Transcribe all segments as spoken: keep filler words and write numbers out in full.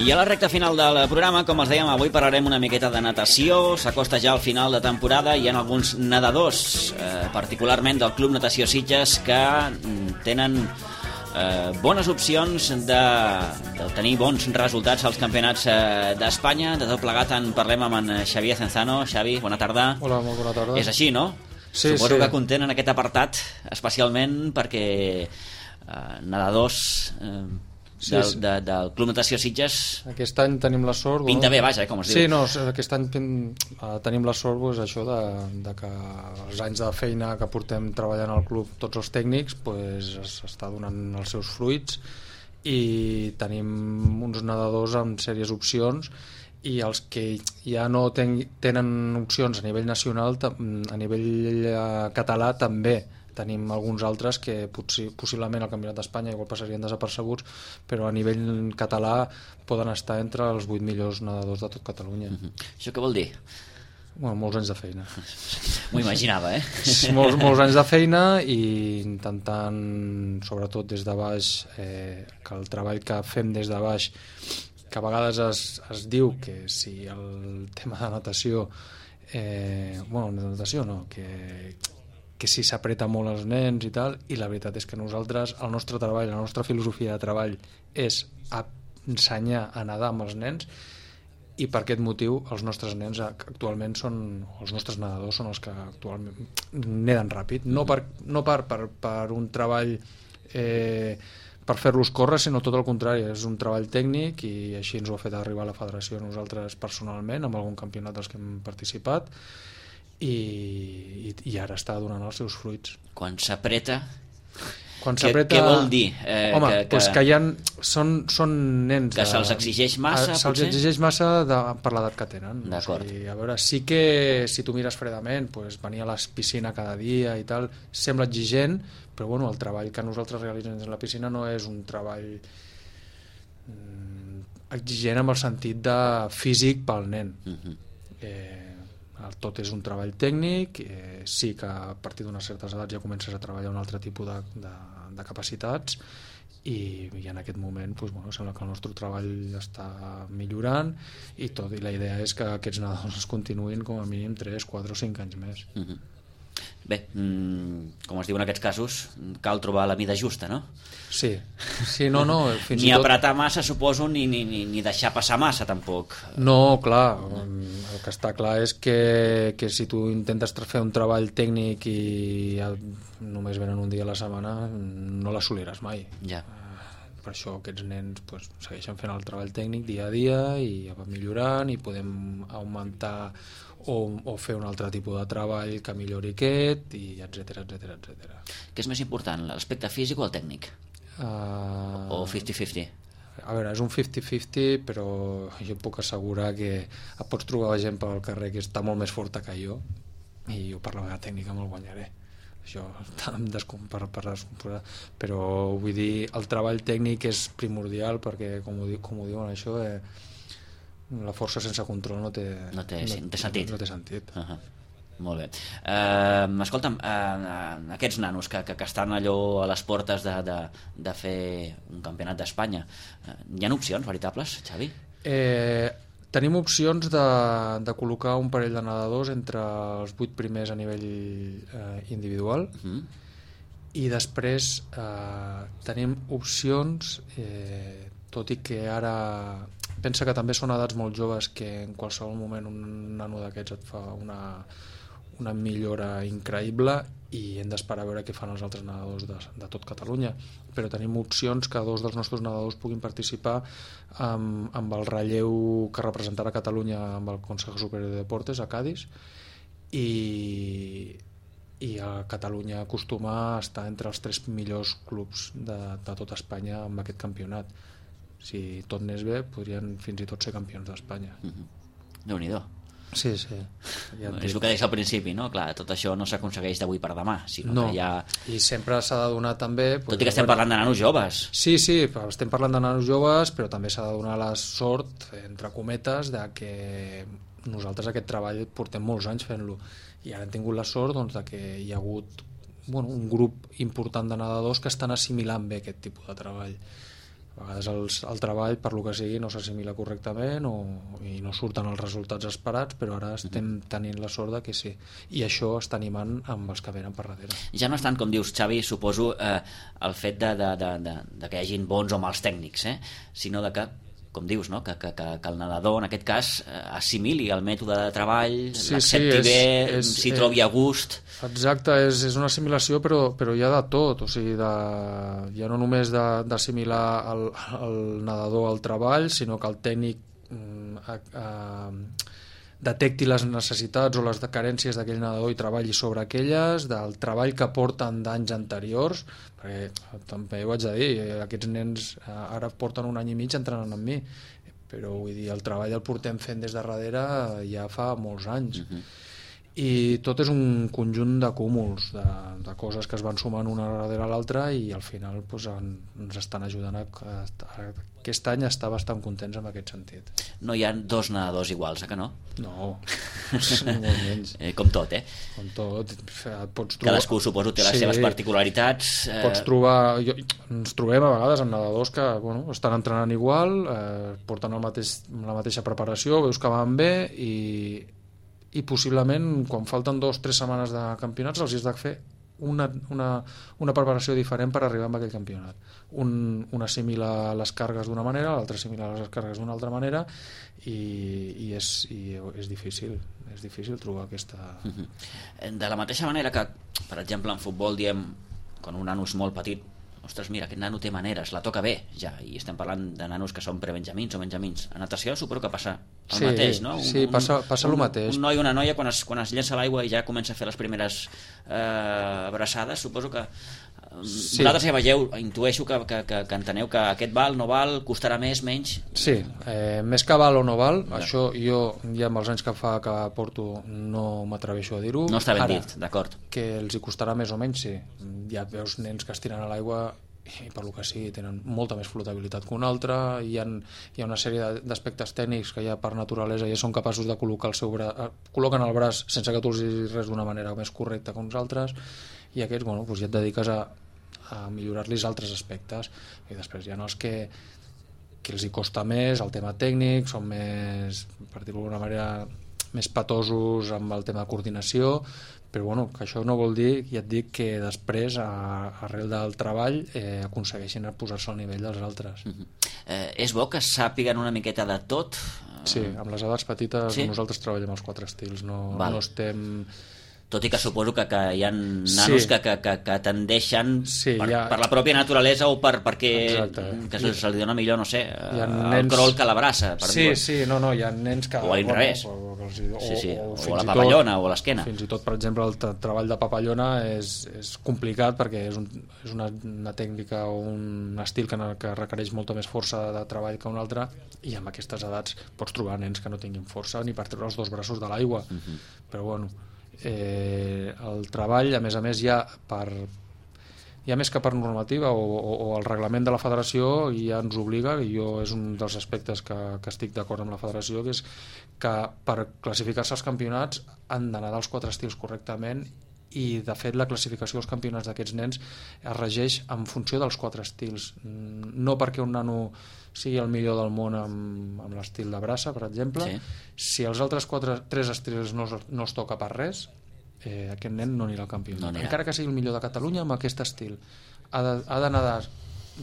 I a la recta final del programa, com els dèiem, avui parlarem una miqueta de natació. S'acosta ja al final de temporada i hi ha alguns nedadors, eh, particularment del Club Natació Sitges, que tenen eh, bones opcions de, de tenir bons resultats als campionats eh, d'Espanya. De tot plegat en parlem amb en Xavier Cenzano. Xavi, bona tarda. Hola, molt bona tarda. És així, no? Sí, Suposo sí. que content en aquest apartat, especialment perquè eh, nedadors... Eh, Sí, del, sí. de, del Club Natació Sitges Aquest any tenim la sort... pinta bé, vaja, com es diu. Sí, no, aquest any uh, tenim la sort pues, això de, de que els anys de feina que portem treballant al club tots els tècnics pues, s'està donant els seus fruits i tenim uns nedadors amb sèries opcions i els que ja no ten, tenen opcions a nivell nacional, a nivell uh, català també tenim alguns altres que potser, possiblement al Campionat d'Espanya igual passarien desapercebuts, però a nivell català poden estar entre els vuit millors nedadors de tot Catalunya. Mm-hmm. Això què vol dir? Bueno, molts anys de feina. M'ho imaginava, eh? molts, molts anys de feina i intentant, sobretot des de baix, eh, que el treball que fem des de baix, que a vegades es, es diu que si el tema de natació, eh, bueno, de natació no, que que si s'apreta molt els nens i tal, i la veritat és que nosaltres, el nostre treball, la nostra filosofia de treball és ensenyar a nedar amb els nens i per aquest motiu els nostres nens actualment són, els nostres nedadors són els que actualment neden ràpid, no per, no per, per, per un treball eh, per fer-los córrer, sinó tot el contrari, és un treball tècnic i així ens ho ha fet arribar a la federació nosaltres personalment, amb algun campionat dels que hem participat. I, i ara està donant els seus fruits. Quan s'apreta, Quan què, s'apreta... què vol dir? Eh, Home, que, que... Pues que hi ha, són, són nens... Que se'ls exigeix massa, Se'ls potser? exigeix massa de, per l'edat que tenen. D'acord. O sigui, a veure, sí que si tu mires fredament, pues, venir a la piscina cada dia i tal, sembla exigent, però bueno, el treball que nosaltres realitzem a la piscina no és un treball mm, exigent amb el sentit de físic pel nen. Uh-huh. Eh, tot és un treball tècnic, eh, sí que a partir d'unes certes edats ja comences a treballar un altre tipus de, de, de capacitats i, i en aquest moment doncs, bueno, sembla que el nostre treball està millorant i tot, i la idea és que aquests nedadors es continuïn com a mínim tres, quatre o cinc anys més. Uh-huh. Bé, mm, com es diu en aquests casos, cal trobar la mida justa, no? Sí, sí, no, no. Fins ni i tot... apretar massa, suposo, ni, ni, ni, ni deixar passar massa, tampoc. No, clar, el que està clar és que, que si tu intentes fer un treball tècnic i ja només venen un dia a la setmana, no l'assoliràs mai. Ja. Per això aquests nens pues, segueixen fent el treball tècnic dia a dia i ja va millorant i podem augmentar o, o fer un altre tipus de treball que millori aquest i etcètera, etcètera, etcètera. Què és més important, l'aspecte físic o el tècnic? Uh, o cinquanta cinquanta? A veure, és un cinquanta cinquanta, però jo puc assegurar que et pots trobar gent pel carrer que està molt més forta que jo i jo per la meva tècnica me'l guanyaré. Això per, per descompondre, però vull dir, el treball tècnic és primordial perquè, com ho, com ho diuen això, eh, la força sense control no té, no té, no, té sentit. No, no té sentit. Uh-huh. Molt bé. Uh, escolta'm, uh, aquests nanos que, que, que estan allò a les portes de, de, de fer un campionat d'Espanya, uh, hi ha opcions veritables, Xavi? Eh, tenim opcions de, de col·locar un parell de nedadors entre els vuit primers a nivell eh, individual uh-huh. i després eh, tenim opcions, eh, tot i que ara pensa que també són edats molt joves que en qualsevol moment un nano d'aquests et fa una, una millora increïble i hem d'esperar a veure què fan els altres nedadors de, de tot Catalunya, però tenim opcions que dos dels nostres nedadors puguin participar amb, amb el relleu que representarà Catalunya amb el Consejo Superior de Deportes a Cádiz i, i a Catalunya acostuma a estar entre els tres millors clubs de, de tot Espanya amb aquest campionat. Si tot anés bé, podrien fins i tot ser campions d'Espanya. Mm-hmm. Déu-n'hi-do. Sí, sí. Ja és el que deies al principi, no? Clar, tot això no s'aconsegueix d'avui per demà, sinó no. que ja... I sempre s'ha de donar també... Tot i que estem parlant de nanos joves. Sí, sí, estem parlant de nanos joves, però també s'ha de donar la sort, entre cometes, de que nosaltres aquest treball portem molts anys fent-lo. I ara hem tingut la sort doncs, de que hi ha hagut bueno, un grup important de nedadors que estan assimilant bé aquest tipus de treball. A vegades el, el treball, per lo que sigui, no s'assimila correctament o, i no surten els resultats esperats, però ara estem tenint la sort de que sí. I això està animant amb els que venen per darrere. Ja no és tant, com dius, Xavi, suposo, eh, el fet de, de, de, de, de que hi hagin bons o mals tècnics, eh? sinó de que, com dius, no? que, que, que, que el nedador, en aquest cas, eh, assimili el mètode de treball, sí, l'accepti sí, bé, s'hi trobi a gust. Exacte, és, és una assimilació, però, però hi ha de tot, o sigui, de, ja no només d'assimilar el, el nedador al treball, sinó que el tècnic a, a, detecti les necessitats o les carències d'aquell nedador i treballi sobre aquelles, del treball que porten d'anys anteriors, perquè també ho haig de dir, aquests nens ara porten un any i mig entrenant amb mi, però vull dir, el treball el portem fent des de darrere ja fa molts anys. Uh-huh. I tot és un conjunt de cúmuls, de, de coses que es van sumant una darrere l'altra i al final doncs, en, ens estan ajudant a, a, a aquest any estar bastant contents en aquest sentit. No hi ha dos nedadors iguals, eh que no? No, molt menys. Eh, com tot, eh? Com tot. Pots trobar... Cadascú, suposo, té les sí, seves particularitats. Eh... Pots trobar... Jo... Ens trobem a vegades amb nedadors que bueno, estan entrenant igual, eh, porten el mateix, la mateixa preparació, veus que van bé i i possiblement quan falten dos o tres setmanes de campionats els has de fer una, una, una preparació diferent per arribar a aquell campionat. Un, un assimila les càrregues d'una manera, l'altre assimila les càrregues d'una altra manera i, i, és, i és difícil és difícil trobar aquesta... Uh-huh. De la mateixa manera que, per exemple, en futbol diem, quan un nano és molt petit, ostres, mira, aquest nano té maneres, la toca bé, ja, i estem parlant de nanos que són prebenjamins o benjamins. A natació suposo que passa el sí, mateix, no? Un, sí, passa, passa un, el mateix. Un noi o una noia, quan es, quan es llença a l'aigua i ja comença a fer les primeres eh, abraçades, suposo que sí. Vosaltres ja veieu, intueixo que, que, que, que enteneu que aquest val, no val, costarà més, menys... Sí, eh, més que val o no val, ja. Això jo ja amb els anys que fa que porto no m'atreveixo a dir-ho. No està ben Ara, dit, d'acord. Que els hi costarà més o menys, sí. Ja veus nens que es tiren a l'aigua i per lo que sí, tenen molta més flotabilitat que un altre, hi ha, hi ha una sèrie d'aspectes tècnics que ja per naturalesa ja són capaços de col·locar el seu braç, col·loquen el braç sense que tu els diguis res d'una manera més correcta que uns altres, i aquests, bueno, doncs ja et dediques a, a millorar-los altres aspectes, i després hi ha els que que els hi costa més, el tema tècnic, són més, per dir-ho d'alguna manera, més patosos amb el tema de coordinació, però bueno, que això no vol dir, ja et dic, que després, a, arrel del treball, eh, aconsegueixin posar-se al nivell dels altres. Uh-huh. eh, és bo que sàpiguen una miqueta de tot? Sí, amb les edats petites sí? Nosaltres treballem els quatre estils, no, no estem... Tot i que suposo que, que hi ha nanos sí. que, que, que, que tendeixen sí, per, ha... per la pròpia naturalesa o per, perquè que se, se li dona millor, no sé, el nens... crol que l'abraça. Sí, sí, no, no, hi ha nens que... O a l'inrevés. O, o, o, sí, sí. o, o, o la papallona tot, o l'esquena. Fins i tot, per exemple, el treball de papallona és, és complicat perquè és, un, és una, una tècnica o un estil que, que requereix molta més força de treball que un altre, i amb aquestes edats pots trobar nens que no tinguin força ni per treure els dos braços de l'aigua. Uh-huh. Però bueno... Eh, el treball, a més a més, ja per ja més que per normativa o, o, o el reglament de la federació ja ens obliga, i jo és un dels aspectes que, que estic d'acord amb la federació, que és que per classificar-se als campionats han d'anar dels quatre estils correctament, i de fet la classificació dels campionats d'aquests nens es regeix en funció dels quatre estils, no perquè un nano sigui el millor del món amb, amb l'estil de braça, per exemple, sí. Si els altres quatre, tres estils no, no es toca per res, eh, aquest nen no anirà al campionat, no anirà. Encara que sigui el millor de Catalunya amb aquest estil ha d'anar de,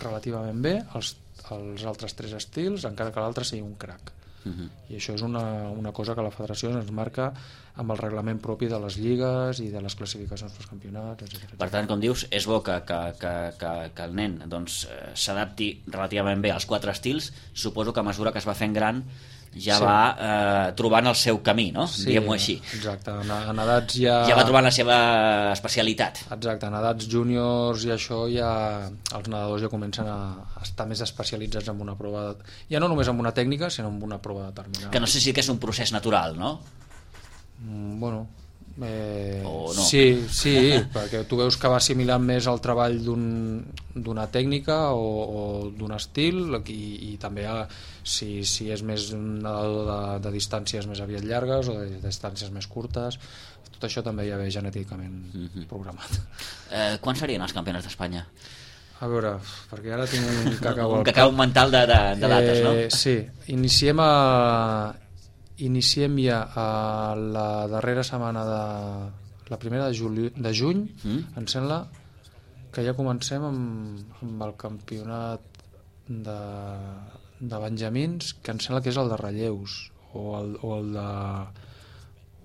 relativament bé els, els altres tres estils, encara que l'altre sigui un crac. Uh-huh. I això és una, una cosa que la federació ens marca amb el reglament propi de les lligues i de les classificacions pels campionats, etcètera. Per tant, com dius, és bo que, que, que, que, que el nen doncs, s'adapti relativament bé als quatre estils. Suposo que a mesura que es va fent gran ja sí. va eh, trobant el seu camí, no? Sí, diguem-ho així. Exacte, en, en edats ja... Ja va trobant la seva especialitat. Exacte, en edats júniors i això ja els nedadors ja comencen a estar més especialitzats en una prova, de... ja no només en una tècnica, sinó en una prova determinada. Que no sé si que és un procés natural, no? Mm, bueno... Eh, o no? Sí, sí, perquè tu veus que va assimilant més el treball d'una un, tècnica o, o d'un estil, i, i també ha, si, si és més un nedador de, de distàncies més aviat llargues o de, de distàncies més curtes, tot això també ja ve genèticament mm-hmm. programat. Eh, quan serien els campionats d'Espanya? A veure, perquè ara tinc un cacau un cacau mental de, de, de dates, no? Eh, sí, iniciem a... Iniciem ja a la darrera setmana de... La primera de, juli... de juny, mm. em sembla que ja comencem amb, amb el campionat de, de Benjamins, que em sembla que és el de relleus, o el, o el de...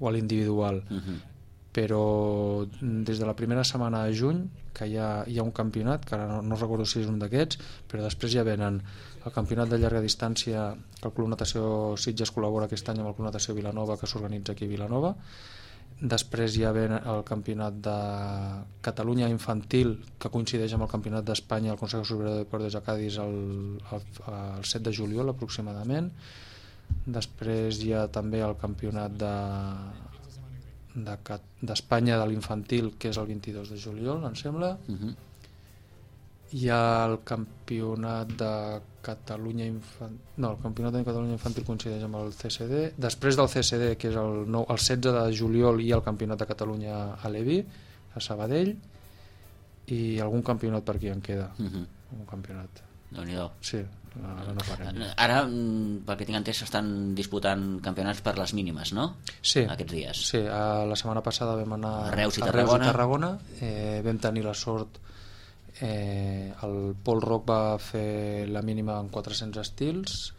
o l'individual. Mm-hmm. Però des de la primera setmana de juny que hi ha, hi ha un campionat, que ara no, no recordo si és un d'aquests, però després ja venen el campionat de llarga distància que el Club Natació Sitges col·labora aquest any amb el Club Natació Vilanova, que s'organitza aquí a Vilanova. Després hi ha el campionat de Catalunya infantil, que coincideix amb el campionat d'Espanya al Consejo Superior de Deportes a Cádiz el, el, el set de juliol aproximadament. Després hi ha també el campionat de d'Espanya de l'infantil, que és el vint-i-dos de juliol, em sembla. Uh-huh. Hi ha el campionat de Catalunya infantil, no, el campionat de Catalunya infantil coincideix amb el C S D. Després del C S D, que és el, nou, el setze de juliol, hi ha el campionat de Catalunya a l'Evi, a Sabadell, i algun campionat per aquí en queda. Uh-huh. Un campionat. Déu-n'hi-do. Sí, ara no parem. Ara, pel que tinc entès, s'estan disputant campionats per les mínimes, no? Sí. Aquests dies. Sí, la setmana passada vam anar a Reus i a Tarragona. Reus i Tarragona. Eh, vam tenir la sort, eh, el Pol Roc va fer la mínima en quatre-cents estils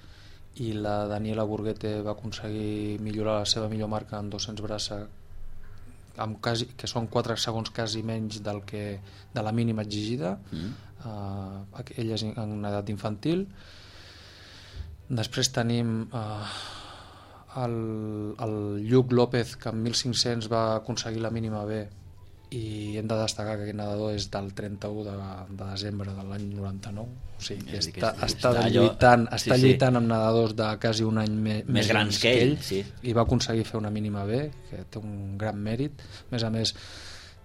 i la Daniela Burguete va aconseguir millorar la seva millor marca en dos-cents braça, amb quasi, que són quatre segons quasi menys del que, de la mínima exigida. Mm. Uh, ella és en edat infantil. Després tenim uh, el, el Lluc López, que amb mil cinc-cents va aconseguir la mínima B, i hem de destacar que aquest nedador és del trenta-u de, de desembre de l'any noranta-nou, o sigui que està, està, està, lluitant, allò... està sí, lluitant sí. amb nedadors de quasi un any me, més grans que ell, sí. I va aconseguir fer una mínima B, que té un gran mèrit. A més a més,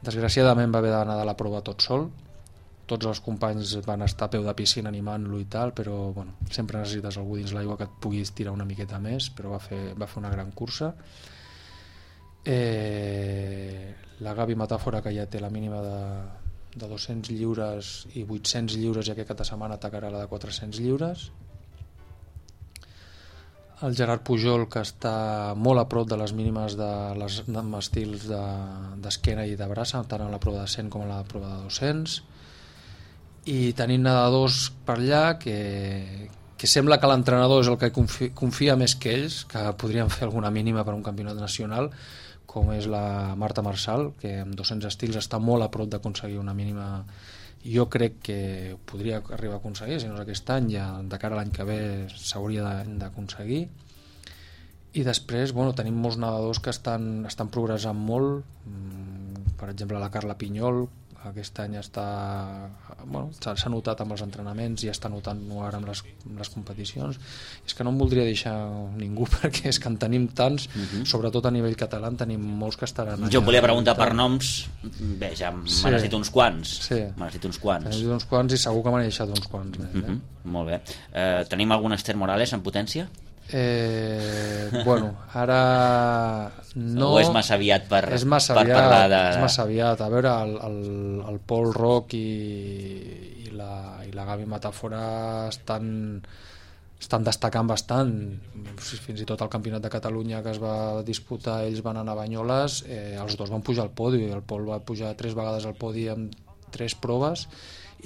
desgraciadament va haver d'anar de la prova tot sol. Tots els companys van estar a peu de piscina animant-lo i tal, però bueno, sempre necessites algú dins l'aigua que et puguis tirar una miqueta més, però va fer, va fer una gran cursa. Eh, la Gavi Metàfora, que ja té la mínima de, de dos-cents lliures i vuit-cents lliures, i aquest cap de setmana atacarà la de quatre-cents lliures. El Gerard Pujol, que està molt a prop de les mínimes de les de estils d'esquena de, i de braça, tant en la prova de cent com en la prova de dos-cents. I tenim nedadors per allà que, que sembla que l'entrenador és el que confia, confia més que ells, que podrien fer alguna mínima per un campionat nacional, com és la Marta Marçal, que amb dos-cents estils està molt a prop d'aconseguir una mínima. Jo crec que podria arribar a aconseguir, si no és aquest any, ja de cara a l'any que ve s'hauria d'aconseguir. I després, bueno, tenim molts nedadors que estan, estan progressant molt, per exemple la Carla Pinyol, aquest any està, bueno, s'ha notat amb els entrenaments i està notant ara amb les, amb les competicions. És que no em voldria deixar ningú, perquè és que en tenim tants, uh-huh. sobretot a nivell català en tenim molts que estaran allà. Jo em volia preguntar per noms, bé, ja sí. m'has dit uns quants, sí. m'has dit uns quants. M'has dit uns quants i segur que m'han deixat uns quants més. Eh? Uh-huh. Molt bé. Eh, tenim algun Esther Morales en potència? Eh, bueno, ara no... O és massa aviat per, és massa per aviat, parlar de... És massa aviat. A veure, el, el, el Pol Roc i, i, la, i la Gavi Metàfora estan, estan destacant bastant. Fins i tot el Campionat de Catalunya que es va disputar, ells van anar a Banyoles, eh, els dos van pujar al podi. El Pol va pujar tres vegades al podi amb tres proves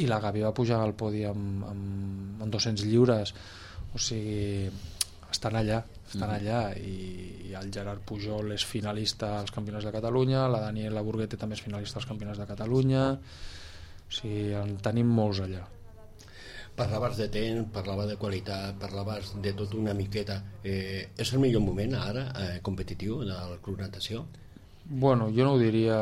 i la Gavi va pujar al podi amb, amb, amb dos-cents lliures. O sigui... estan allà, estan allà i, i el Gerard Pujol és finalista als Campionats de Catalunya, la Daniela Burguete també és finalista als Campionats de Catalunya, o sigui, en tenim molts allà. Parlaves de temps, parlaves de qualitat, parlaves de tot una miqueta. Eh, és el millor moment ara eh, competitiu del Club Natació? Bueno, jo no ho diria,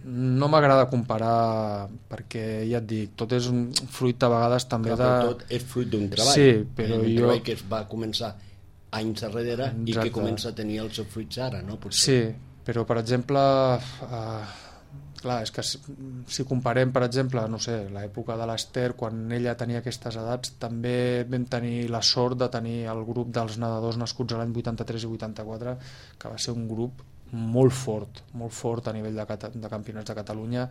no m'agrada comparar perquè ja et dic, tot és un fruit a vegades també Clar, de... tot és fruit d'un treball, sí, però un jo... treball que es va començar anys darrere Exacte. I que comença a tenir els seus fruits ara, no? Potser. Sí, però per exemple, eh, clar, és que si, si comparem, per exemple, no sé, l'època de l'Ester, quan ella tenia aquestes edats, també vam tenir la sort de tenir el grup dels nedadors nascuts a l'any vuitanta-tres i vuitanta-quatre, que va ser un grup molt fort, molt fort a nivell de, de campionats de Catalunya.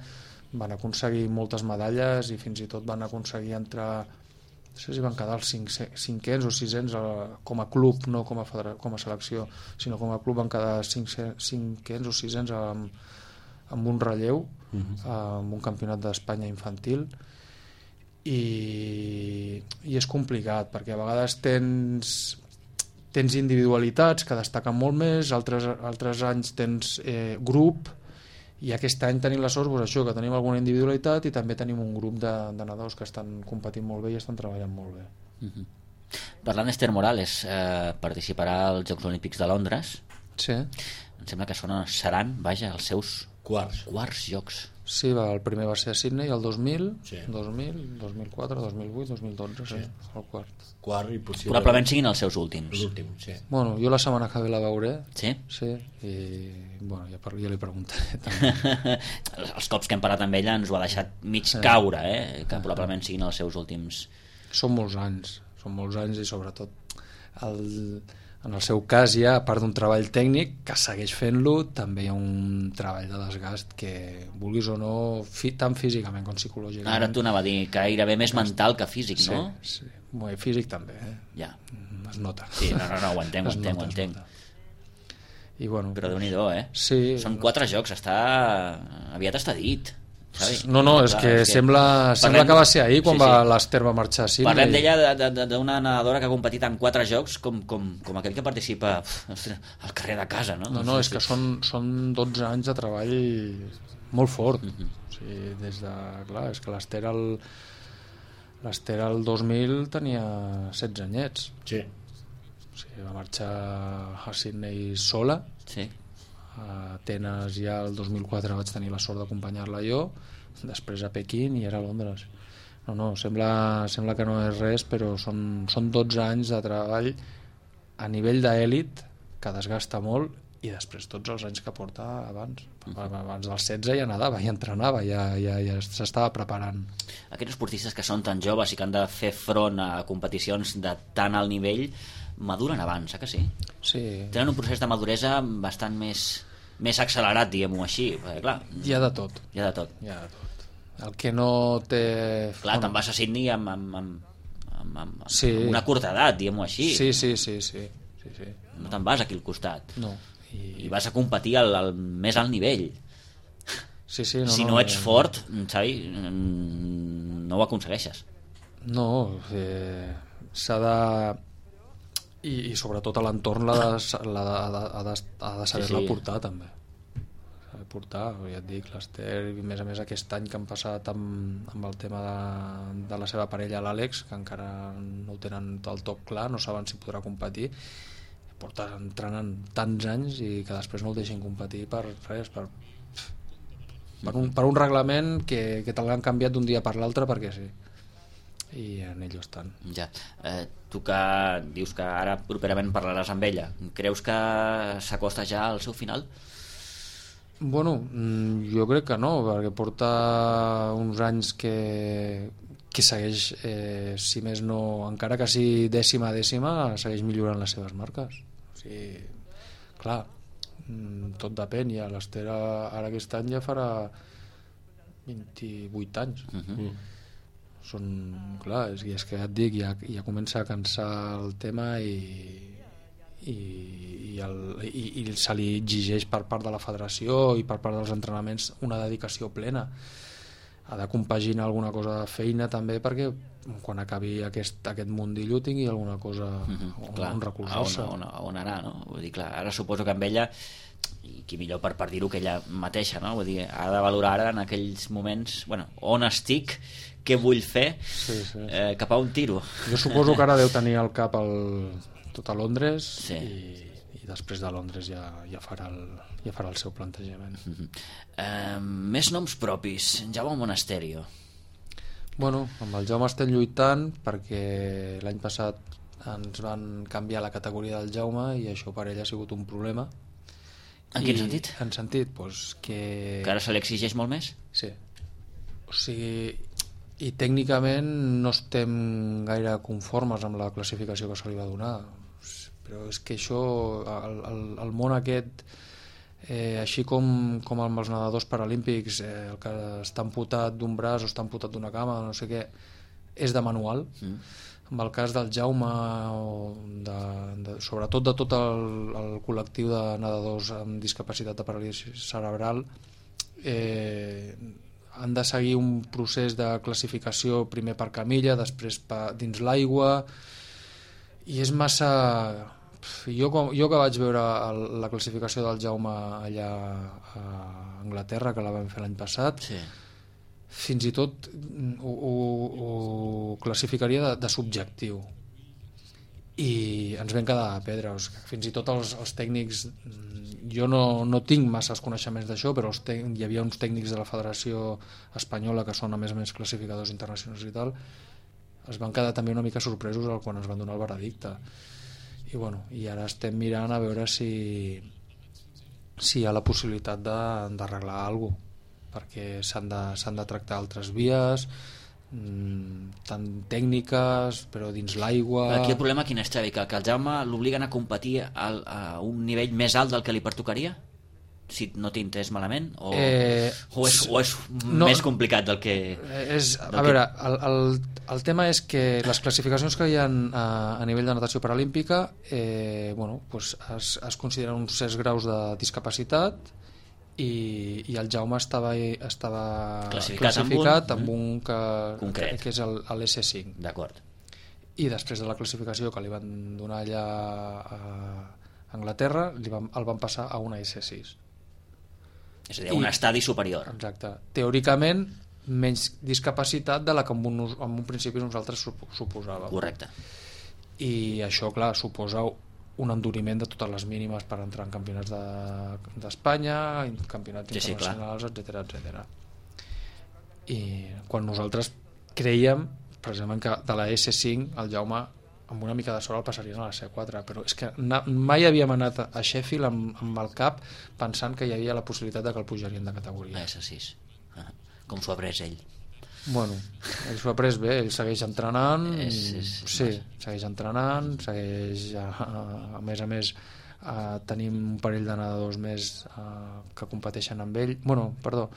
van aconseguir moltes medalles i fins i tot van aconseguir entrar, no sé si van quedar els cinc, cinquens o sisens com a club, no com a, federa, com a selecció, sinó com a club van quedar cinc, cinquens o sisens amb, amb un relleu, uh-huh. amb un campionat d'Espanya infantil, i, i és complicat perquè a vegades tens tens individualitats que destaquen molt més, altres, altres anys tens eh, grup, i aquest any tenim la sort doncs, això, que tenim alguna individualitat i també tenim un grup de, de nedadors que estan competint molt bé i estan treballant molt bé. Uh-huh. Parlant d'Esther Morales, eh, participarà als Jocs Olímpics de Londres. Sí. Em sembla que són, seran, vaja, els seus quarts, quarts jocs. Sí, va, el primer va ser a Sydney el dos mil, sí. dos mil, dos mil quatre, dos mil vuit, dos mil dotze, sí. Sí, el quart. Quart i possible... Probablement siguin els seus últims. L'últim, sí. Bueno, jo la setmana que ve la veuré. Sí? Sí, i bueno, ja, ja li preguntaré també. Els cops que hem parlat amb ella ens ho ha deixat mig sí. caure, eh? Que probablement siguin els seus últims... Són molts anys, són molts anys i sobretot el... en el seu cas ja, a part d'un treball tècnic que segueix fent-lo, també hi ha un treball de desgast que, vulguis o no, fi, tant físicament com psicològicament. Ara t'ho anava a dir, que gairebé més mental que físic, sí, no? Sí, sí. Físic també, eh? Ja. Es nota. Sí, no, no, no, ho entenc, ho entenc, ho entenc. I bueno, però Déu-n'hi-do, eh? Sí. Són quatre jocs, està... aviat està dit. Sabi? No, no, és que, és que sembla, parlem... sembla que va ser ahir quan sí, sí. va l'Esther va marxar a Sydney. Parlem d'ella d'una nedadora que ha competit en quatre jocs com, com, com aquell que participa uf, al carrer de casa, no? No, no, és que són, són dotze anys de treball molt fort. Uh-huh. O sigui, des de... Clar, és que l'Esther el, l'Esther el dos mil tenia setze anyets. Sí. O sigui, va marxar a Sydney sola. Sí. A Atenes ja el dos mil quatre vaig tenir la sort d'acompanyar-la jo, després a Pequín i era a Londres. No, no, sembla, sembla que no és res, però són, són dotze anys de treball a nivell d'èlit que desgasta molt, i després tots els anys que porta abans. Abans dels setze ja nedava, ja entrenava, ja, ja, ja s'estava preparant. Aquests esportistes que són tan joves i que han de fer front a competicions de tan alt nivell maduren abans, eh que sí? Sí. Tenen un procés de maduresa bastant més, més accelerat, diguem-ho així, perquè clar... Hi ha de tot. Hi ha de tot. Hi ha de tot. El que no té... Clar, bueno, te'n vas a Sydney amb, amb, amb, amb, amb, sí. amb una curta edat, diguem-ho així. Sí, sí, sí, sí. sí, sí. No te'n vas aquí al costat. No. I, I vas a competir al, al més alt nivell. Sí, sí, no, si no, no ets no, fort, Xavi, no ho aconsegueixes. No, eh, s'ha de... I, i sobretot a l'entorn l'ha de, l'ha de, ha de, ha de saber-la sí, sí. portar també. S'ha de portar, ja et dic, l'Esther, i a més a més aquest any que han passat amb, amb el tema de, de la seva parella, l'Àlex, que encara no ho tenen del tot clar, no saben si podrà competir, porta entrenant tants anys i que després no el deixin competir per res, per, per, un, per un reglament que, que te l'han canviat d'un dia per l'altre perquè sí, i en ells estan. Ja. Eh, tu que dius que ara properament parlaràs amb ella, creus que s'acosta ja al seu final? Bueno, jo crec que no, perquè porta uns anys que que segueix, eh, si més no, encara que sigui dècima a dècima, segueix millorant les seves marques. O sigui, clar, tot depèn, ja l'Esther ara aquest any ja farà vint-i-vuit anys. Uh-huh. Són, clar, és, és que ja et dic, ja, ja comença a cansar el tema i, i, i, el, i, i se li exigeix per part de la federació i per part dels entrenaments una dedicació plena. Ha de compaginar alguna cosa de feina també perquè quan acabi aquest, aquest mundillo tingui alguna cosa mm-hmm, on, clar, on recolzar-se. On, on, on anar, no? Vull dir, clar, ara suposo que amb ella, i qui millor per, per dir-ho que ella mateixa, no? Vull dir, ha de valorar ara en aquells moments, bueno, on estic, què vull fer, sí, sí, sí. Eh, cap a un tiro. Jo suposo que ara deu tenir al cap el, tot a Londres sí. i, i després de Londres ja, ja, farà el, ja farà el seu plantejament. Mm-hmm. Eh, més noms propis. Jaume Monasterio. Bueno, amb el Jaume estem lluitant perquè l'any passat ens van canviar la categoria del Jaume i això per ell ha sigut un problema. En I, quin sentit? En sentit, doncs que... Que ara se li exigeix molt més? Sí. O sigui, i tècnicament no estem gaire conformes amb la classificació que se li va donar, però és que això, el, el, el món aquest Eh, així com, com amb els nedadors paralímpics, eh, el que està amputat d'un braç o està amputat d'una cama, no sé què, és de manual. Mm. En el cas del Jaume, o de, de, sobretot de tot el, el col·lectiu de nedadors amb discapacitat de paràlisi cerebral, eh, han de seguir un procés de classificació primer per camilla, després per, dins l'aigua, i és massa... Jo, jo que vaig veure el, la classificació del Jaume allà a Anglaterra, que la vam fer l'any passat, sí. Fins i tot ho, ho, ho classificaria de, de subjectiu, i ens vam quedar a pedres. Fins i tot els, els tècnics, jo no, no tinc massa coneixements d'això, però els tec, hi havia uns tècnics de la Federació Espanyola que són a més a més classificadors internacionals i tal, es van quedar també una mica sorpresos quan es van donar el veredicte. I, bueno, i ara estem mirant a veure si, si hi ha la possibilitat d'arreglar alguna cosa, perquè s'han de, s'han de tractar altres vies, mmm, tant tècniques, però dins l'aigua... Aquí el problema quin és, Xavi? Que, que el Jaume l'obliguen a competir al, a un nivell més alt del que li pertocaria? Si no t'he entès malament? O, eh, o és, o és no, més complicat del que... És, del a que... veure, el, el, el tema és que les classificacions que hi ha a, a nivell de natació paralímpica, eh, bueno, pues es, es consideren uns certs graus de discapacitat, i, i el Jaume estava, estava classificat, classificat amb un, amb un que, concret, que és l'S cinc. D'acord. I després de la classificació que li van donar allà a Anglaterra, li van, el van passar a una S sis. És a dir, un I, estadi superior. Exacte. Teòricament, menys discapacitat de la que en un, en un principi nosaltres suposàvem. Correcte. I això, clar, suposa un enduriment de totes les mínimes per entrar en campionats d'Espanya, de, campionats sí, internacionals, sí, etcètera, etcètera. I quan nosaltres creiem, precisament, que de la S cinc el Jaume amb una mica de sort el passarien a la C quatre, però és que mai havíem anat a Sheffield amb, amb el cap pensant que hi havia la possibilitat de que el pujarien de categoria. A S sis. Ah, com s'ho ha pres ell? Bueno, ell s'ho ha pres bé, ell segueix entrenant, és, és, sí, segueix entrenant, segueix, a, a més a més, a, tenim un parell de nedadors més a, que competeixen amb ell. Bueno, perdó,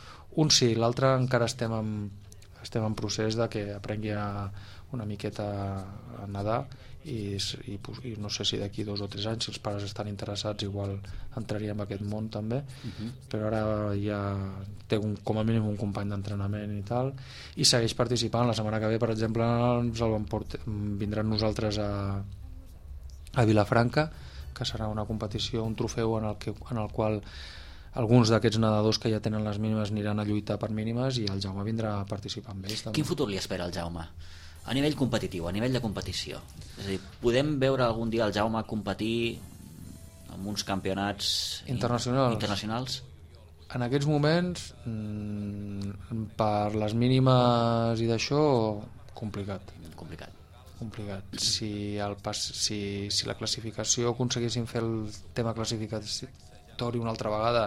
un sí, l'altre encara estem en, estem en procés de que aprengui a una miqueta a nedar, i, i, i no sé si d'aquí dos o tres anys, si els pares estan interessats, igual entraria en aquest món també. Uh-huh. Però ara ja té un, com a mínim un company d'entrenament i tal, i segueix participant. La setmana que ve, per exemple, ens el portar, vindran nosaltres a, a Vilafranca, que serà una competició, un trofeu en el, que, en el qual alguns d'aquests nedadors que ja tenen les mínimes aniran a lluitar per mínimes, i el Jaume vindrà a participar amb ells també. Quin futur li espera al Jaume? A nivell competitiu, a nivell de competició. És a dir, podem veure algun dia el Jaume competir en uns campionats internacionals? internacionals? En aquests moments, per les mínimes i d'això, complicat. Complicat. Complicat. Si, el pas, si, si la classificació aconseguissin fer el tema classificatori una altra vegada,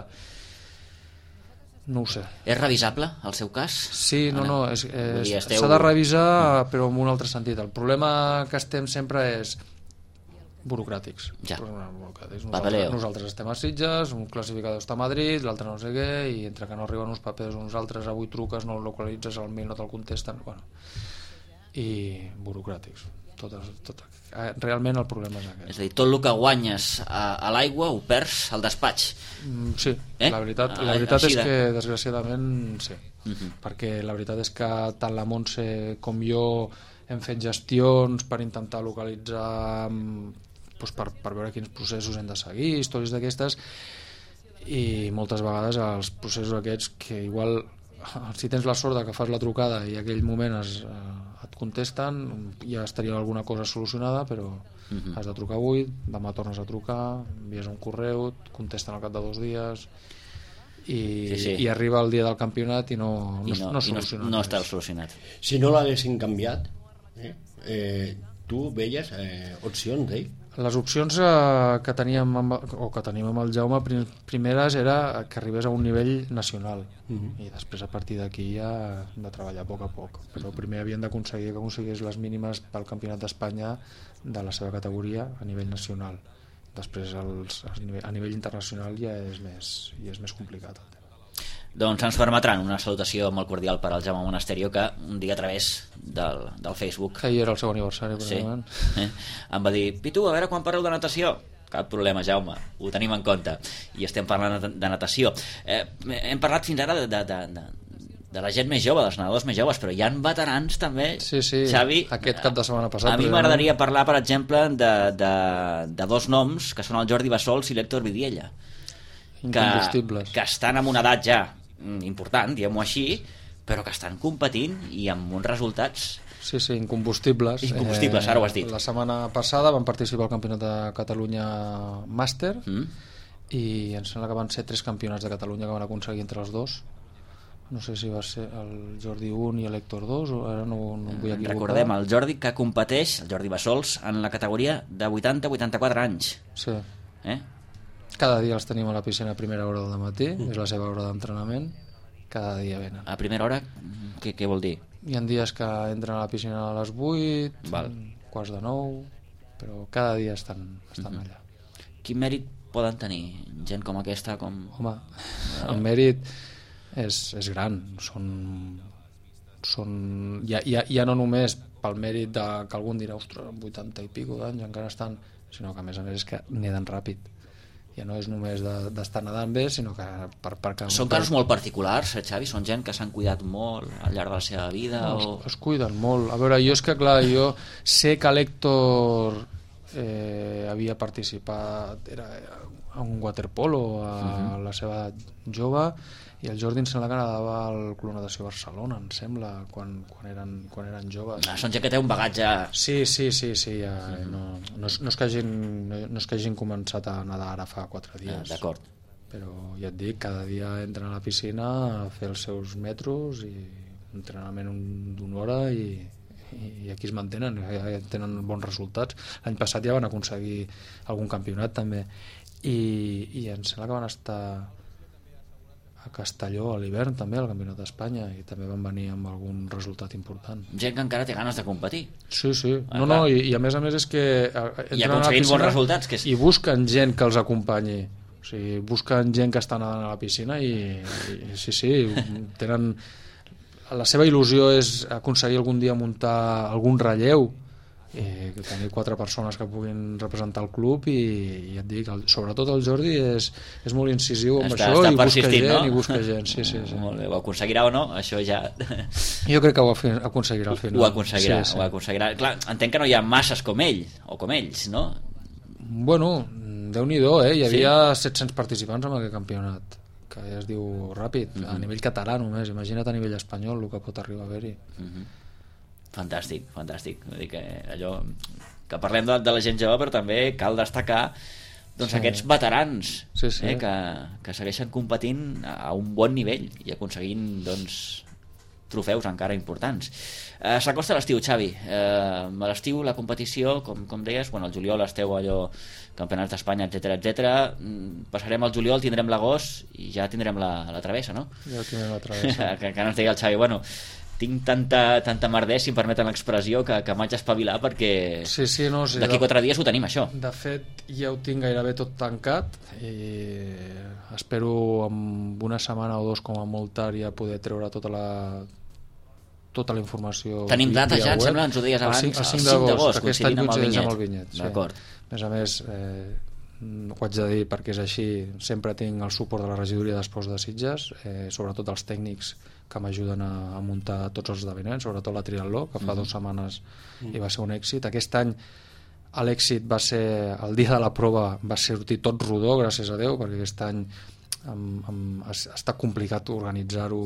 no ho sé. És revisable el seu cas? Sí, no, no, és, és, esteu... s'ha de revisar, però en un altre sentit. El problema que estem sempre és burocràtics. Ja. Burocràtics. Nosaltres, nosaltres estem a Sitges, un classificador està a Madrid, l'altre no sé què, i entre que no arriben uns papers, uns altres, avui truques, no el localitzes, al mail no te'l contesten, bueno. I burocràtics. Totes, tot, realment el problema és aquest. És a dir, tot el que guanyes a, a l'aigua ho perds al despatx. Mm, sí, eh? la veritat, la veritat és que desgraciadament sí, uh-huh. perquè la veritat és que tant la Montse com jo hem fet gestions per intentar localitzar, doncs per, per veure quins processos hem de seguir, històries d'aquestes, i moltes vegades els processos aquests que igual, si tens la sort de que fas la trucada i en aquell moment es, eh, et contesten, ja estaria alguna cosa solucionada, però uh-huh. has de trucar avui, demà tornes a trucar, envies un correu, et contesten al cap de dos dies, i, sí, sí. i arriba el dia del campionat i no, no, I no, no, i no, no està solucionat. Si no l'haguessin canviat, eh, eh, tu veies eh, opcions d'ell? Les opcions eh, que teníem amb, o que tenim amb el Jaume prim, primeres era que arribés a un nivell nacional, uh-huh. i després a partir d'aquí ja hem de treballar a poc a poc, però primer havien d'aconseguir que aconseguís les mínimes pel Campionat d'Espanya de la seva categoria a nivell nacional, després els, a, nivell, a nivell internacional ja és més, ja és més complicat el tema. Doncs ens permetran una salutació molt cordial per al Jaume Monasterio, que un dia a través del, del Facebook, que ahir era el seu aniversari, sí, eh, em va dir: Pitu, a veure quan parleu de natació. Cap problema, Jaume, ho tenim en compte, i estem parlant de, de natació. eh, hem parlat fins ara de, de, de, de de la gent més jove, dels nedadors més joves, però hi ha veterans també, sí, sí, Xavi. Aquest cap de setmana passat. A mi m'agradaria parlar, per exemple, de, de, de dos noms, que són el Jordi Bassols i l'Héctor Vidiella, que, que estan en una edat ja important, diguem-ho així, però que estan competint i amb uns resultats... Sí, sí, incombustibles. Incombustibles, eh, ara ho has dit. La setmana passada van participar al Campionat de Catalunya Màster, mm. i em sembla que van ser tres campionats de Catalunya que van aconseguir entre els dos. No sé si va ser el Jordi un i l'Héctor dos, o ara no, no em vull equivocar. Recordem, el Jordi que competeix, el Jordi Bassols, en la categoria de vuitanta a vuitanta-quatre anys. Sí. Eh? Cada dia els tenim a la piscina a primera hora del matí, mm. és la seva hora d'entrenament, cada dia venen. A primera hora, què, què vol dir? Hi ha dies que entren a la piscina a les vuit, Val. quarts de nou, però cada dia estan, estan mm-hmm. allà. Quin mèrit poden tenir gent com aquesta? Com... Home, el mèrit és, és gran, són, són ja, ja, ja no només pel mèrit de, que algun dirà, ostres, amb vuitanta i pico d'anys encara estan, sinó que a més a més és que neden ràpid. Ja no és només d'estar de, nedant bé, sinó que per, per que... Són casos molt particulars, eh, Xavi? Són gent que s'han cuidat molt al llarg de la seva vida? No, o... es, es cuiden molt. A veure, jo és que, clar, jo sé que l'Héctor eh, havia participat era, a un waterpolo a uh-huh. la seva jove, i el Jordi em sembla que nedava al Club Natació Barcelona, em sembla, quan, quan, eren, quan eren joves. Ah, són gent que té un bagatge... Sí, sí, sí, sí ja, uh-huh. no, no, és, no, és que hagin, no és que hagin començat a nedar ara fa quatre dies. Ah, d'acord. Però ja et dic, cada dia entren a la piscina a fer els seus metros i entrenament d'una hora i, i aquí es mantenen, ja tenen bons resultats. L'any passat ja van aconseguir algun campionat també, i, i em sembla que van estar a Castelló a l'hivern també, al Campionat d'Espanya, i també van venir amb algun resultat important. Gent que encara té ganes de competir. Sí, sí. Ah, no, no, i, i a més a més és que i aconseguint bons resultats, que és... i busquen gent que els acompanyi. O sigui, busquen gent que està nedant a la piscina i, i sí, sí, tenen... La seva il·lusió és aconseguir algun dia muntar algun relleu, eh, tenir quatre persones que puguin representar el club, i, i ja et dic, el, sobretot el Jordi és, és molt incisiu amb està, això, està i busca gent, no? i busca gent, sí, sí, sí. Molt bé, ho aconseguirà o no, això ja... Jo crec que ho aconseguirà al final. Ho aconseguirà, sí, sí. ho aconseguirà. Clar, entenc que no hi ha masses com ell, o com ells, no? Bueno, Déu-n'hi-do, eh? Hi havia sí? set-cents participants en aquest campionat, que ja es diu ràpid, mm-hmm. a nivell català només, imagina't a nivell espanyol el que pot arribar a haver-hi. Mm-hmm. Fantàstic, fantàstic. Vull dir que allò que parlem de, de la gent jove, però també cal destacar doncs, sí. aquests veterans sí, sí. Eh, que, que segueixen competint a un bon nivell i aconseguint doncs, trofeus encara importants. Eh, S'acosta l'estiu, Xavi. Eh, a l'estiu la competició, com, com deies, bueno, el juliol esteu allò, campionats d'Espanya, etcètera, etcètera. Passarem al juliol, tindrem l'agost i ja tindrem la, la travessa, no? Ja tindrem la travessa. que, que no ens deia el Xavi, bueno, tinc tanta, tanta merder, si em permeten l'expressió, que, que m'haig d'espavilar perquè sí, sí, no, sí, d'aquí quatre dies ho tenim, això. De fet, ja ho tinc gairebé tot tancat i espero amb una setmana o dos com a molt tard ja poder treure tota la tota la informació. Tenim data ja, em sembla, ens ho deies abans, el cinc d'agost, aquest any coincideix amb el vinyet. Sí. D'acord. A més a més, eh, ho haig de dir perquè és així, sempre tinc el suport de la regidoria d'Esports de Sitges, eh, sobretot els tècnics que m'ajuden a, a muntar tots els esdeveniments, sobretot la triatló, que fa mm. dues setmanes mm. i va ser un èxit. Aquest any l'èxit va ser, el dia de la prova va sortir tot rodó, gràcies a Déu, perquè aquest any amb, amb, ha, ha estat complicat organitzar-ho,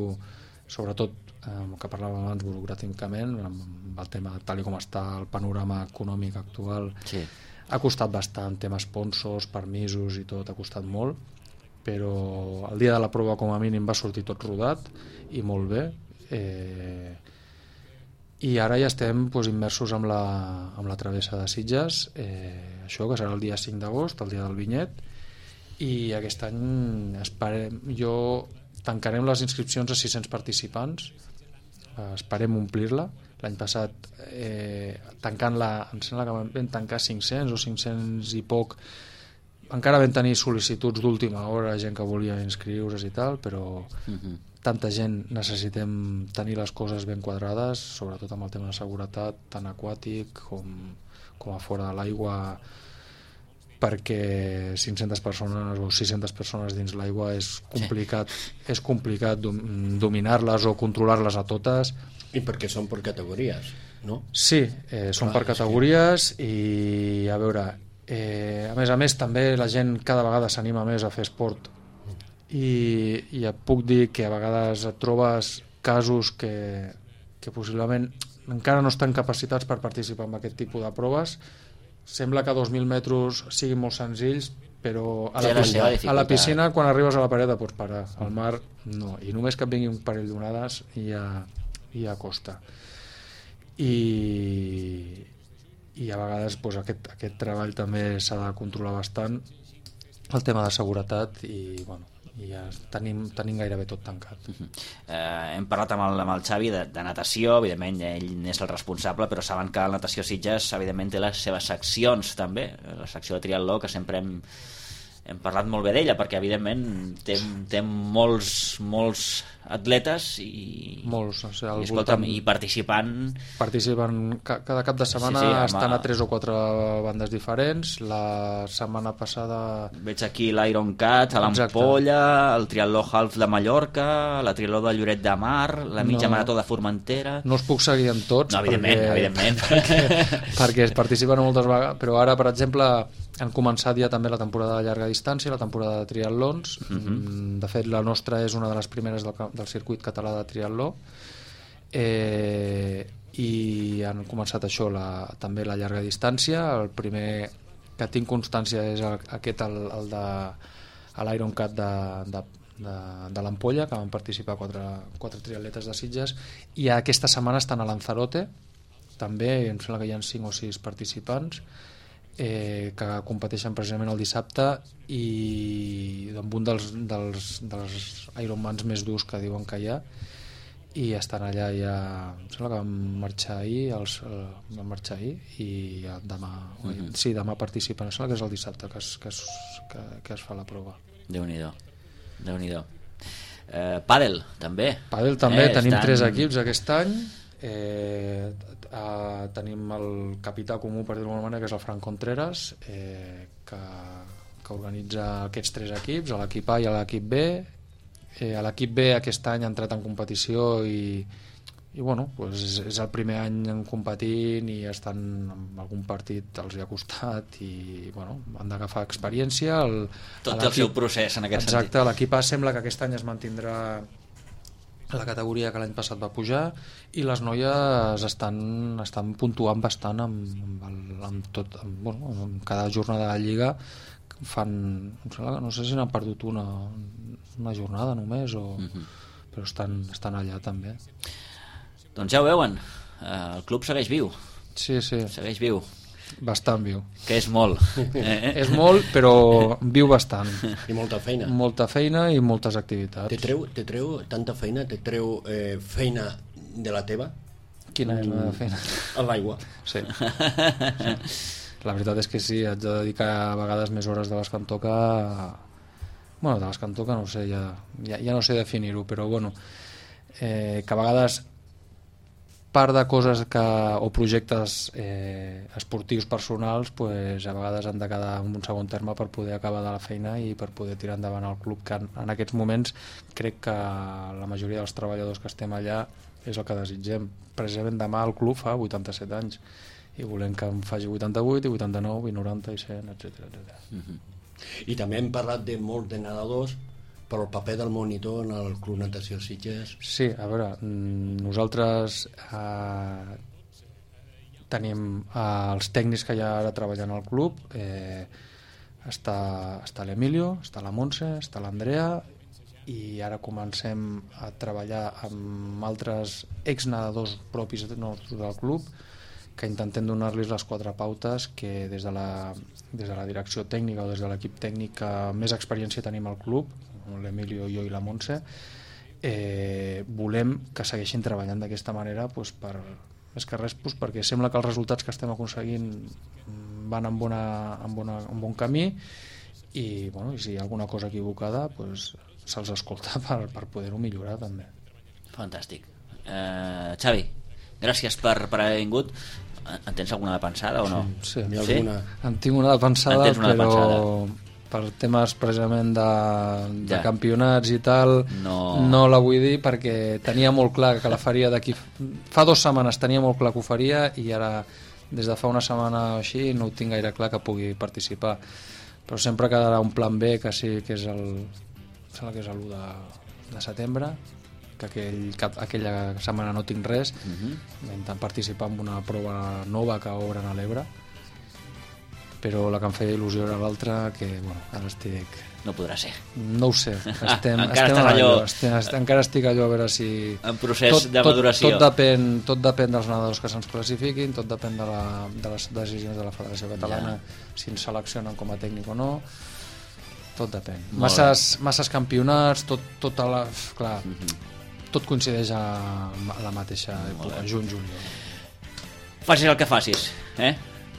sobretot eh, que parlàvem abans burocràticament, amb el tema tal com està el panorama econòmic actual. Sí. Ha costat bastant, temes sponsors, permisos i tot, ha costat molt, però el dia de la prova com a mínim va sortir tot rodat i molt bé, eh, i ara ja estem doncs, immersos amb la, amb la travessa de Sitges, eh, això que serà el dia cinc d'agost, el dia del vinyet, i aquest any esperem, jo tancarem les inscripcions a sis-cents participants, eh, esperem omplir-la. L'any passat eh, tancant-la, em sembla que vam tancar cinc-cents o cinc-cents i poc, encara vam tenir sol·licituds d'última hora, gent que volia inscriure's i tal, però uh-huh. tanta gent necessitem tenir les coses ben quadrades, sobretot amb el tema de seguretat, tant aquàtic com, com a fora de l'aigua, perquè cinc-centes persones o sis-centes persones dins l'aigua és complicat, sí. és complicat dominar-les o controlar-les a totes. I perquè són per categories, no? Sí, eh, són Clar, per categories que... i a veure, eh, a més a més també la gent cada vegada s'anima més a fer esport i, i et puc dir que a vegades et trobes casos que, que possiblement encara no estan capacitats per participar en aquest tipus de proves. Sembla que dos mil metres siguin molt senzills, però a la, piscina, a la piscina quan arribes a la paret et pots parar, al mar no, i només que et vingui un parell d'onades ja, ja costa. I, i a vegades doncs, aquest, aquest treball també s'ha de controlar bastant, el tema de seguretat, i bueno, i ja tenim, tenim gairebé tot tancat. Uh-huh. eh, hem parlat amb el, amb el Xavi de, de natació, evidentment ell n'és el responsable, però saben que la natació Sitges evidentment té les seves seccions també, la secció de triatló, que sempre hem, hem parlat molt bé d'ella, perquè evidentment té, té molts, molts atletes i, molts, o sigui, i, escolta'm, i participant participen cada cap de setmana, sí, sí, estan a tres o quatre bandes diferents. La setmana passada veig aquí l'Iron Cat a l'Ampolla, el triatló half de Mallorca, la triatló de Lloret de Mar, la mitja no, marató de Formentera. No els puc seguir en tots, no, evidentment, perquè, evidentment. perquè, perquè es participen moltes vegades, però ara per exemple han començat ja també la temporada de llarga distància, la temporada de triatlons. Uh-huh. De fet la nostra és una de les primeres del, del circuit català de triatló, eh, i han començat això, la, també la llarga distància. El primer que tinc constància és el, aquest, el, el de l'Iron Cat de, de, de, de l'Ampolla, que van participar quatre, quatre triatletes de Sitges, i aquesta setmana estan a Lanzarote també, em sembla que hi ha cinc o sis participants, eh, que competeixen precisament el dissabte, i amb un dels, dels, dels Ironmans més durs que diuen que hi ha, i estan allà ja, em sembla que van marxar ahir, els, van marxar ahir i ja demà, uh-huh. sí, demà participen, em sembla que és el dissabte que es, que es, que, que es fa la prova. Déu-n'hi-do, Déu-n'hi-do. Eh, pàdel, també. Pàdel també, eh, tenim estan... tres equips aquest any. Eh, eh, tenim el capità comú, per dir-ho d'alguna manera, que és el Fran Contreras, eh, que, que organitza aquests tres equips, a l'equip A i a l'equip B. Eh, a l'equip B aquest any ha entrat en competició i, i bueno, pues és, és el primer any en competint, i estan en algun partit els hi ha costat i bueno, han d'agafar experiència. El, Tot el seu procés en aquest exacte, sentit. Exacte, l'equip A sembla que aquest any es mantindrà la categoria que l'any passat va pujar, i les noies estan, estan puntuant bastant amb, amb, el, amb tot, amb, bueno, amb cada jornada de lliga fan, no sé si n'han perdut una, una jornada només o, uh-huh. però estan, estan allà també. Doncs ja ho veuen, el club segueix viu. Sí, sí. Segueix viu. Bastant viu. Que és molt. Eh? És molt, però viu bastant. I molta feina. Molta feina i moltes activitats. Te treu, te treu tanta feina, te treu eh, feina de la teva? Quina és la feina? A l'aigua. Sí. sí. La veritat és que sí, haig de dedicar a vegades més hores de les que em toca. Bueno, de les que em toca no sé, ja, ja, ja no sé definir-ho, però bueno, eh, que a vegades part de coses que, o projectes eh, esportius personals, pues, a vegades han de quedar en un segon terme per poder acabar de la feina i per poder tirar endavant el club, que en, en aquests moments crec que la majoria dels treballadors que estem allà és el que desitgem. Precisament demà el club fa vuitanta-set anys i volem que em faci vuitanta-vuit i vuitanta-nou i noranta i cent, etcètera etcètera. Uh-huh. I també hem parlat de molt de nedadors, però el paper del monitor en el Club Natació Sitges... Sí, a veure, nosaltres eh, tenim eh, els tècnics que hi ha ara treballant al club, eh, està, està l'Emilio, està la Montse, està l'Andrea, i ara comencem a treballar amb altres exnedadors propis del club, que intentem donar-los les quatre pautes que des de la, des de la direcció tècnica o des de l'equip tècnic que més experiència tenim al club, l'Emilio, jo i la Montse, eh, volem que segueixin treballant d'aquesta manera, doncs per, més que res, doncs perquè sembla que els resultats que estem aconseguint van en, bona, en, bona, en bon camí, i, bueno, i si hi ha alguna cosa equivocada pues, se'ls escolta per, per poder-ho millorar també. Fantàstic. eh, Xavi, gràcies per, per haver vingut. En tens alguna de pensada o no? Sí, Hi ha sí. alguna... En tinc una de pensada, En tens una de però pensada. per temes precisament de, de Ja. campionats i tal No. no la vull dir perquè tenia molt clar que la faria d'aquí fa dues setmanes tenia molt clar que ho faria i ara des de fa una setmana o així no ho tinc gaire clar que pugui participar, però sempre quedarà un plan B que sí que és el sembla que és l'u de, de setembre, que aquell, cap, aquella setmana no tinc res. Uh-huh. Intentant participar en una prova nova que obren a l'Ebre, però la que em feia il·lusió era l'altra, que bueno, ara estic... No podrà ser. No ho sé, estem, Encara estem estàs a allò- allò, estem, estem, encara estic allò a veure si... En procés de maduració. Tot, tot, depèn, tot depèn dels nedadors que se'ns classifiquin, tot depèn de, la, de les decisions de la Federació Catalana, ja. Si ens seleccionen com a tècnic o no, tot depèn. Masses, masses campionats, tot, tot a la... Clar, mm-hmm. tot coincideix a, a la mateixa època, juny-juliol. Facis el que facis, eh?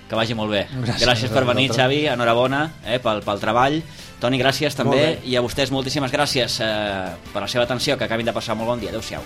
Que vagi molt bé. Gràcies, gràcies per venir, vosaltres. Xavi, enhorabona eh, pel, pel treball. Toni, gràcies també, Molt bé. i a vostès moltíssimes gràcies eh, per la seva atenció, que acabin de passar molt bon dia. Adéu-siau.